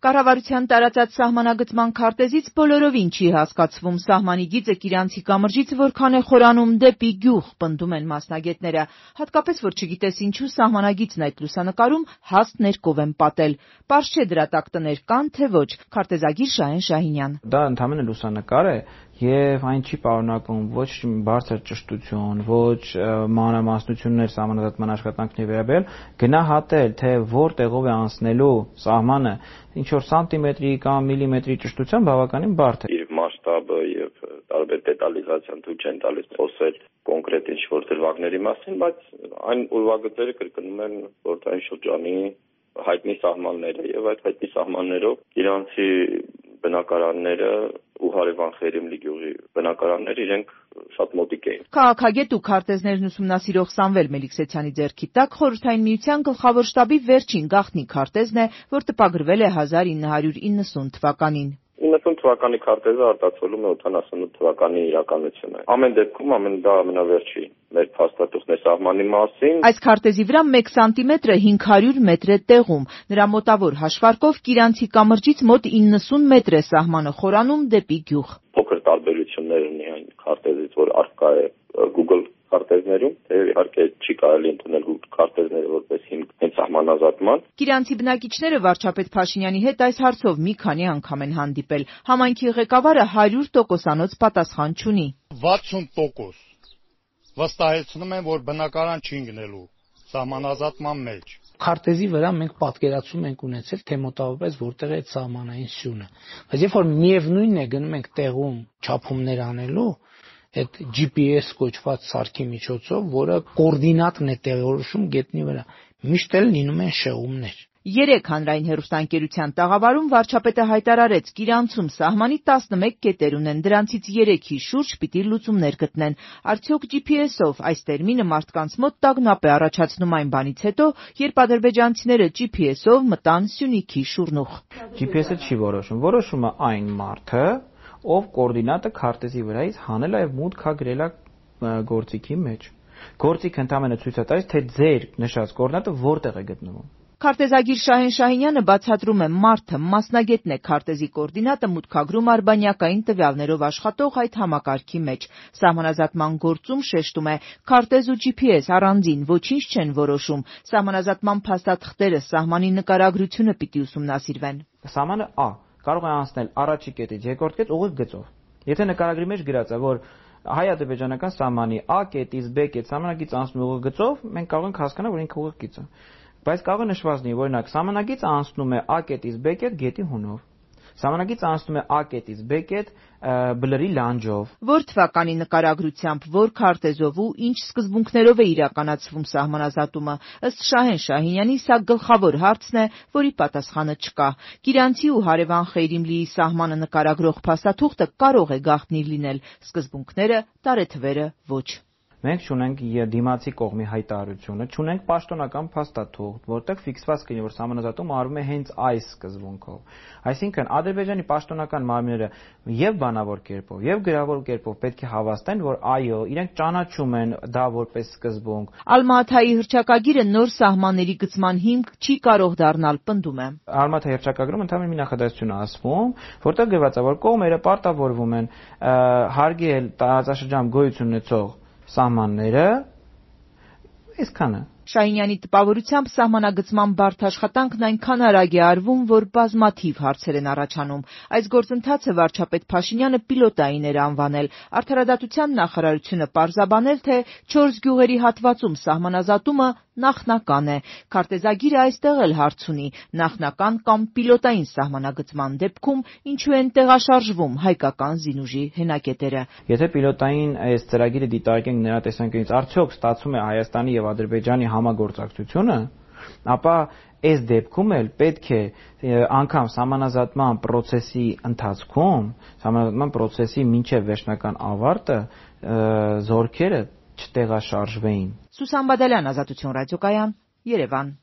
Կառավարության տարածած սահմանագծման քարտեզից բոլորովին չի հասկացվում սահմանի գիծը Կիրանցի կամրջից որքան է խորանում դեպի գյուղ, պնդում են մասնագետները, հատկապես որ չգիտես ինչու սահմանագիծն այդ լուսանկարում հաստ ներկով են պատել։ Պարզ չէ դրա տակ տներ կան, թե ոչ, քարտեզագիր Շահեն Շահինյան։ Դա ընդհանրապես լուսանկար է եւ այն չի պարունակում ոչ բարձր ճշտություն, ոչ մանրամասնություններ սահմանազատման աշխատանքների վերաբերյալ, գնահատել, թե որտեղով է անցնելու սահմանը ինչ որ սանտիմետրի կամ միլիմետրի ճշտությամբ բավականին բարդ է։ Իր մասշտաբը եւ տարբեր դետալիզացիան ցույց չեն տալիս խոսել կոնկրետ ինչ որ դրվագների մասին, բայց այն ուրվագծերը կրկնում են խորհրդային շրջանի հայտնի սահմանները եւ այդ հայտնի սահմաններով իրանցի բնակարանները ու հարևան Խերեմլի գյուղի բնակարանները իրենք շատ մոտիկ էին։ Քաղաքագետ ու քարտեզներն ուսումնասիրող Սամվել Մելիքսեթյանի ձեռքի տակ Խորհրդային Միության գլխավոր շտաբի վերջին գաղտնի քարտեզն է, որ տպագրվել է 1990 թվականին։ 90 թվականի քարտեզը արտացոլում է 88 թվականի իրականությունը։ Ամեն դեպքում դա ամենավերջի մեր փաստաթուղթն է սահմանի մասին։ Այս քարտեզի վրա 1 սանտիմետրը 500 մետր է տեղում։ Նրա մոտավոր հաշվարկով Կիրանցի կամրջից մոտ 90 մետր է սահմանը խորանում դեպի գյուղ։ Փոքր տարբերություններ ունի այն քարտեզից, որ առկա է Google քարտեզներում, իհարկե չի կարելի ընդունել քարտեզները որպես հիմք հենց սահմանազատման։ Կիրանցի բնակիչները վարչապետ Փաշինյանի հետ այս հարցով մի քանի անգամ են հանդիպել։ Համայնքի ղեկավարը 100%-անոց պատասխան չունի։ 60% վստահեցնում են, որ բնակարան չի գնելու սահմանազատման մեջ։ Քարտեզի վրա մենք պատկերացում ենք ունեցել, թե մոտավորապես որտեղ է այդ սահմանային սյունը։ Բայց երբ որ միևնույնն է գնում ենք տեղում չափումներ անելու, այդ GPS կոչված սարքի միջոցով, որը կոորդինատն է տեղորոշում գետնի վրա, միշտ էլ լինում են շեղումներ։ 3 հանրային հեռուստաընկերության տաղավարում վարչապետը հայտարարեց, Կիրանցում սահմանի 11 կետեր ունեն, դրանցից 3-ի շուրջ պիտի լուծումներ գտնեն։ Արդյոք GPS-ով այս տերմինը մարդկանց մոտ տագնապ է առաջացնում այն բանից հետո, երբ ադրբեջանցիները GPS-ով մտան Սյունիքի շուռնուղ։ GPS-ը չի որոշում, որոշում է այն մարդը, ով կոորդինատը քարտեզի վրայից հանել է եւ մուտք է գրել գործիքի մեջ։ Գործիքը ընդհանրապես ցույց է տալիս, թե ձեր նշած կոորդինատը որտեղ է գտնվում։ Քարտեզագիր Շահեն Շահինյանը բացատրում է, մարդը մասնագետն է քարտեզի կոորդինատը մուտքագրում արբանյակային տվյալներով աշխատող այդ համակարգի մեջ։ Սահմանազատման գործում շեշտում է, քարտեզ ու GPS առանձին ոչինչ չեն որոշում։ Սահմանազատման փաստաթղթերը, սահմանի նկարագրությունը պիտի ուսումնասիրվեն։ Սահմանը կարող է անցնել առաջի կետից երկրորդ կետ ուղիղ գծով։ Եթե նկարագրի մեջ գրած է, որ հայ-ադրբեջանական սահմանի A կետից B կետ սահմանագիծ անցնում ուղիղ գծով, մենք կարող ենք հասկանալ, որ ինքը ուղիղ գիծ է։ Բայց կարող է նշված լինի, օրինակ, սահմանագիծը անցնում է A կետից B կետ գետի հունով։ Սահմանագիծը անցնում է A կետից B կետ բլրի լանջով։ Որ թվականի նկարագրությամբ, որ քարտեզով ու ինչ սկզբունքներով է իրականացվում սահմանազատումը, ըստ Շահեն Շահինյանի, սա գլխավոր հարցն է, որի պատասխանը չկա։ Կիրանցի ու հարևան Խերիմլիի սահմանը նկարագրող փաստաթուղթը կարող է գաղտնի լինել, սկզբունքները, տարեթվերը ոչ։ Մենք չունենք դիմացի կողմի հայտարարությունը, չունենք պաշտոնական փաստաթուղթ, որտեղ ֆիքսված կլինի, որ սահմանազատումը արվում է հենց այս սկզբունքով։ Այսինքն Ադրբեջանի պաշտոնական մարմինները եւ բանավոր կերպով, եւ գրավոր կերպով պետք է հավաստեն, որ այո, իրենք ճանաչում են դա որպես սկզբունք։ Ալմաթայի հռչակագիրը նոր սահմանների գծման հիմք չի կարող դառնալ, պնդում է։ Ալմաթայի հռչակագրում ընդհանուր մի նախադասություն է ասվում, որտեղ գրված է, որ կողմերը պարտավորվում են հարգել տարածաշրջան գոյություն ունեցող սահմանները, այսքանը։ Շահինյանի տպավորությամբ սահմանագծման բարդ աշխատանքն այնքան արագ է արվում, որ բազմաթիվ հարցեր են առաջանում։ Այս գործընթացը վարչապետ Փաշինյանը պիլոտային էր անվանել։ Արդարադատության նախարարությունը պարզաբանել, թե 4 գյուղերի հատվածում սահմանազատումը նախնական է։ Քարտեզագիրը այստեղ էլ հարց ունի՝ նախնական կամ պիլոտային սահմանագծման դեպքում ինչու են տեղաշարժվում հայկական զինուժի հենակետերը։ Եթե պիլոտային այս ծրագիրը դիտարկենք նրա տեսանկյունից, արդյոք ստացվում է Հայաստանի եւ Ադրբեջանի համագործակցությունը, ապա այս դեպքում էլ պետք է անգամ սահմանազատման process-ի ընթացքում, սահմանազատման process-ի մինչև վերջնական ավարտը զորքերը չտեղաշարժվեին։ Սուսան Բադալյան, Ազատություն ռադիոկայան, Երևան։